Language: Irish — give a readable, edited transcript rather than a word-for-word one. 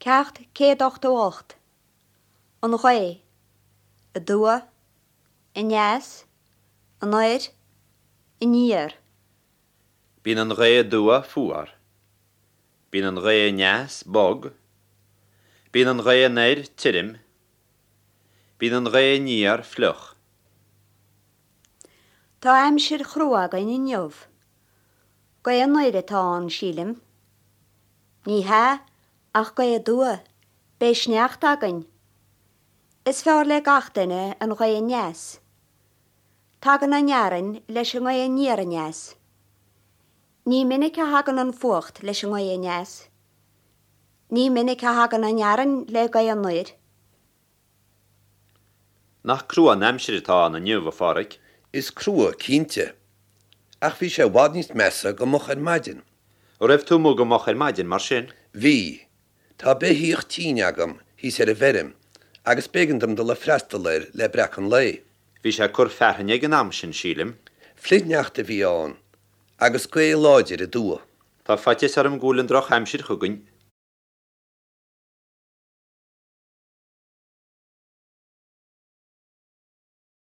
Ceacht 188. An ghaoth. Aduaidh. Aneas. Anoir. Aniar. Bíonn an ghaoth aduaidh fuar. Bíonn an ghaoth aneas bog. Bíonn an ghaoth anoir tirim. Bíonn an ghaoth aniar fliuch. Tá aimsir chrua againn inniu. Gaoth anoir atá ann, sílim. Ní hea, ach gaoth aduaidh, beidh sneachta againn. Is fearr le gach duine an ghaoth aneas. Tagann an fhearthainn leis an ngaoth aniar aneas. Ní minic a thagann an fuacht leis an ngaoth aneas. Ní minic a thagann an fhearthainn le gaoth anoir. Nach crua an aimsir atá ann inniu, a Pháraic? Is crua, cinnte. Ach bhí sé i bhfad níos measa go moch ar maidin. An raibh tú amuigh go moch ar maidin, mar sin? Bhí. Tá beithíoch tinn agam thíos ar an bhfeirm agus b'éigean dom dul ag freastal air le breacadh an lae. Bhí sé ag cur fearthainne ag an am sin, sílim. Flichshneachta a bhí ann agus gaoth láidir aduaidh. Tá faitíos orm go bhfuil an drochaimsir chugainn.